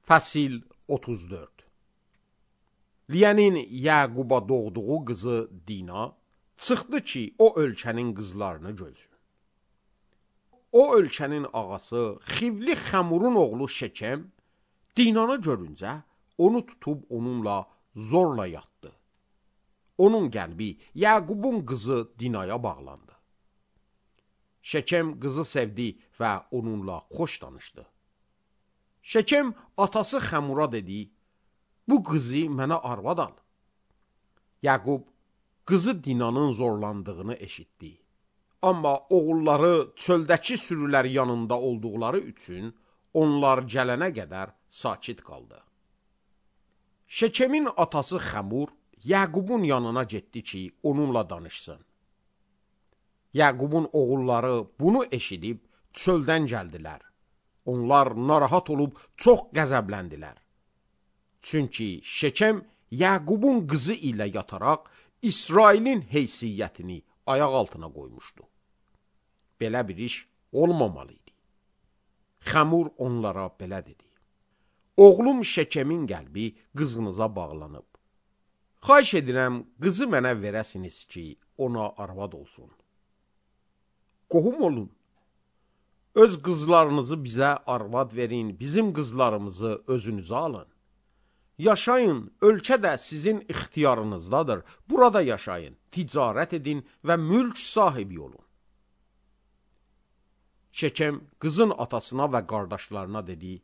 Fəsil 34. Liyənin Yəquba doğduğu qızı Dina çıxdı ki, o ölkənin qızlarını gözsün. O ölkənin ağası Xivli Xəmurun oğlu Şekem Dinanı görüncə onu tutub onunla zorla yatdı. Onun qəlbi Yəqubun qızı Dinaya bağlandı. Şekem qızı sevdi və onunla xoş danışdı. Şekem atası Xəmura dedi, bu qızı mənə arvad al. Yəqub qızı Dinanın zorlandığını eşitdi. Amma oğulları çöldəki sürülər yanında olduqları üçün onlar gələnə qədər sakit qaldı. Şekemin atası Xəmur Yəqubun yanına getdi ki, onunla danışsın. Yəqubun oğulları bunu eşidib çöldən gəldilər. Onlar narahat olub çox qəzəbləndilər. Çünki Şekem Yəqubun qızı ilə yataraq İsrailin heysiyyətini ayaq altına qoymuşdu. Belə bir iş olmamalıydı. Xəmur onlara belə dedi. Oğlum Şekemin qəlbi qızınıza bağlanıb. Xahiş edirəm, qızı mənə verəsiniz ki, ona arvad olsun. Qohum olun. Öz qızlarınızı bizə arvad verin, bizim qızlarımızı özünüzə alın. Yaşayın, ölkə də sizin ixtiyarınızdadır. Burada yaşayın, ticarət edin və mülk sahibi olun. Şekem qızın atasına və qardaşlarına dedi,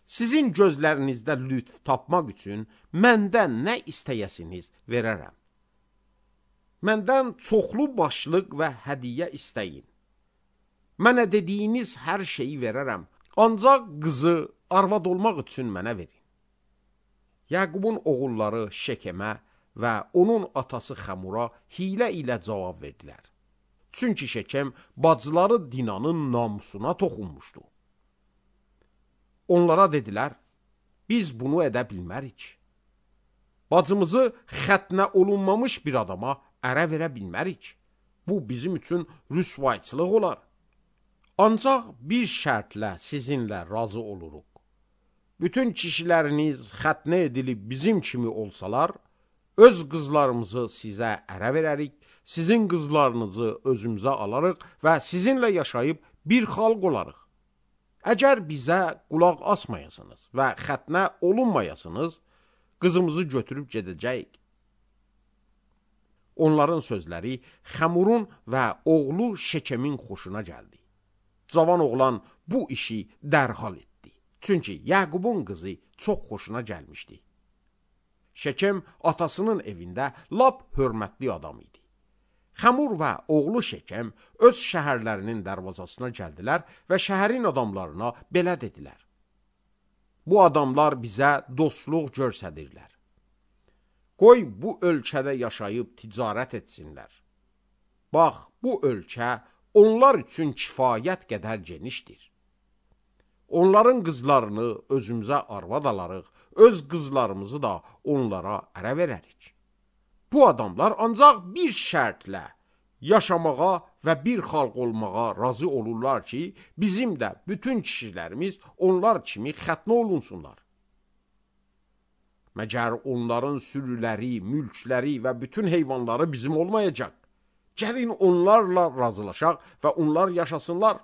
sizin gözlərinizdə lütf tapmaq üçün məndən nə istəyəsiniz verərəm. Məndən çoxlu başlıq və hədiyyə istəyin. Mənə dediyiniz hər şeyi verərəm, ancaq qızı arvad olmaq üçün mənə verin. Yəqubun oğulları Şekemə və onun atası Xəmura hilə ilə cavab verdilər. Çünki Şekem bacıları Dinanın namusuna toxunmuşdu. Onlara dedilər, biz bunu edə bilmərik. Bacımızı xətnə olunmamış bir adama ərə verə bilmərik. Bu bizim üçün rüsvayçılıq olar. Ancaq bir şərtlə sizinlə razı oluruq. Bütün kişiləriniz xətnə edilib bizim kimi olsalar, öz qızlarımızı sizə ərə verərik, sizin qızlarınızı özümüzə alarıq və sizinlə yaşayıb bir xalq olarıq. Əgər bizə qulaq asmayasınız və xətnə olunmayasınız, qızımızı götürüb gedəcəyik. Onların sözləri Xəmurun və oğlu Şekemin xoşuna gəldi. Cavan oğlan bu işi dərhal etdi. Çünki Yəqubun qızı çox xoşuna gəlmişdi. Şekem atasının evində lap hörmətli adam idi. Xəmur və oğlu Şekem öz şəhərlərinin dərvazasına gəldilər və şəhərin adamlarına belə dedilər. Bu adamlar bizə dostluq göstərirlər. Qoy bu ölkədə yaşayıb ticarət etsinlər. Bax, bu ölkə onlar üçün kifayət qədər genişdir. Onların qızlarını özümüzə arvad alarıq, öz qızlarımızı da onlara ərə verərik. Bu adamlar ancaq bir şərtlə yaşamağa və bir xalq olmağa razı olurlar ki, bizim də bütün kişilərimiz onlar kimi xətnə olunsunlar. Məgər onların sürüləri, mülkləri və bütün heyvanları bizim olmayacaq. Gəlin onlarla razılaşaq və onlar yaşasınlar.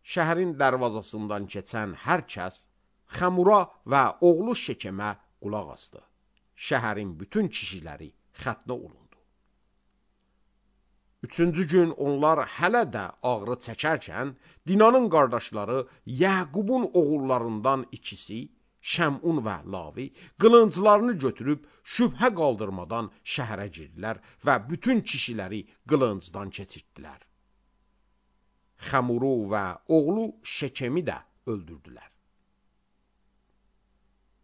Şəhərin dərvazasından keçən hər kəs Xəmura və oğlu Şekemə qulaq asdı. Şəhərin bütün kişiləri xətnə olundu. Üçüncü gün onlar hələ də ağrı çəkərkən, Dinanın qardaşları Yəqubun oğullarından ikisi, Şəmun və Lavi, qılınclarını götürüb şübhə qaldırmadan şəhərə girdilər və bütün kişiləri qılıncdan keçirtdilər. Xəmuru və oğlu Şekemi də öldürdülər.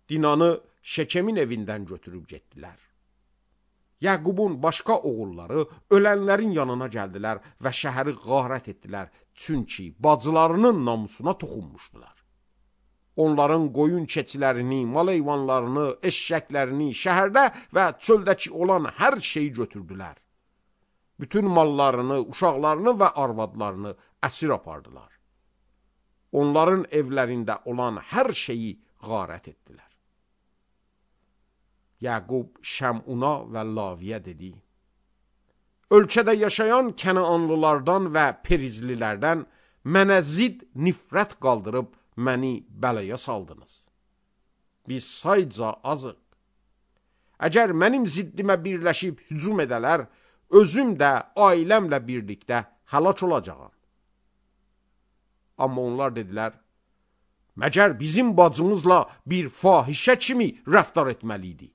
Dinanı Şekemin evindən götürüb getdilər. Yəqubun başqa oğulları ölənlərin yanına gəldilər və şəhəri qarət etdilər, çünki bacılarının namusuna toxunmuşdular. Onların qoyun keçilərini, mal heyvanlarını, eşşəklərini, şəhərdə və çöldəki olan hər şeyi götürdülər. Bütün mallarını, uşaqlarını və arvadlarını əsir apardılar. onların evlərində olan hər şeyi qarət etdilər. Yaqub Şəmuna və Laviyə dedi: Ölkədə yaşayan Kənaanlılardan və Perizlilərdən mənə zid nifrət qaldırıb məni bəlaya saldınız. Biz sayca azıq. Əgər mənim ziddimə birləşib hücum edələr, özüm də ailəmlə birlikdə həlak olacağam. Amma onlar dedilər: Məgər bizim bacımızla bir fahişə kimi rəftar etməliydi?